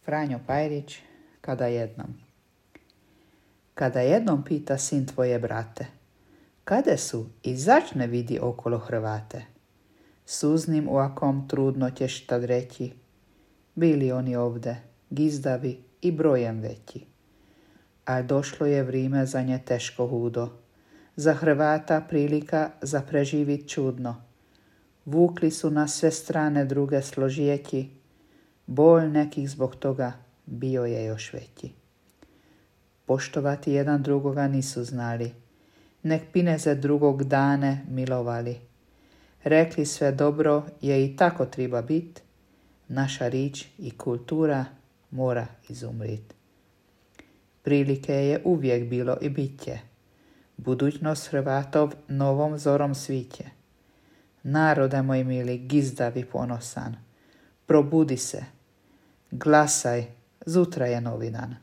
Franjo Pajrić, Kada jednom pita sin tvoje brate, kade su i začne vidi okolo Hrvate. Suznim uakom trudno ćeš tad reći, bili oni ovde, gizdavi i brojem veći. A došlo je vrime za nje teško hudo, za Hrvata prilika za preživit čudno. Vukli su na sve strane druge složijeći, bol nekih zbog toga bio je još veći. Poštovati jedan drugoga nisu znali, nek pineze drugog dane milovali. Rekli sve dobro je i tako treba bit, naša rič i kultura mora izumrit. Prilike je uvijek bilo i bit će, budućnost Hrvatov novom zorom sviće. Narode moj mili, gizdav i ponosan, probudi se, glasaj, zutra je novi dan.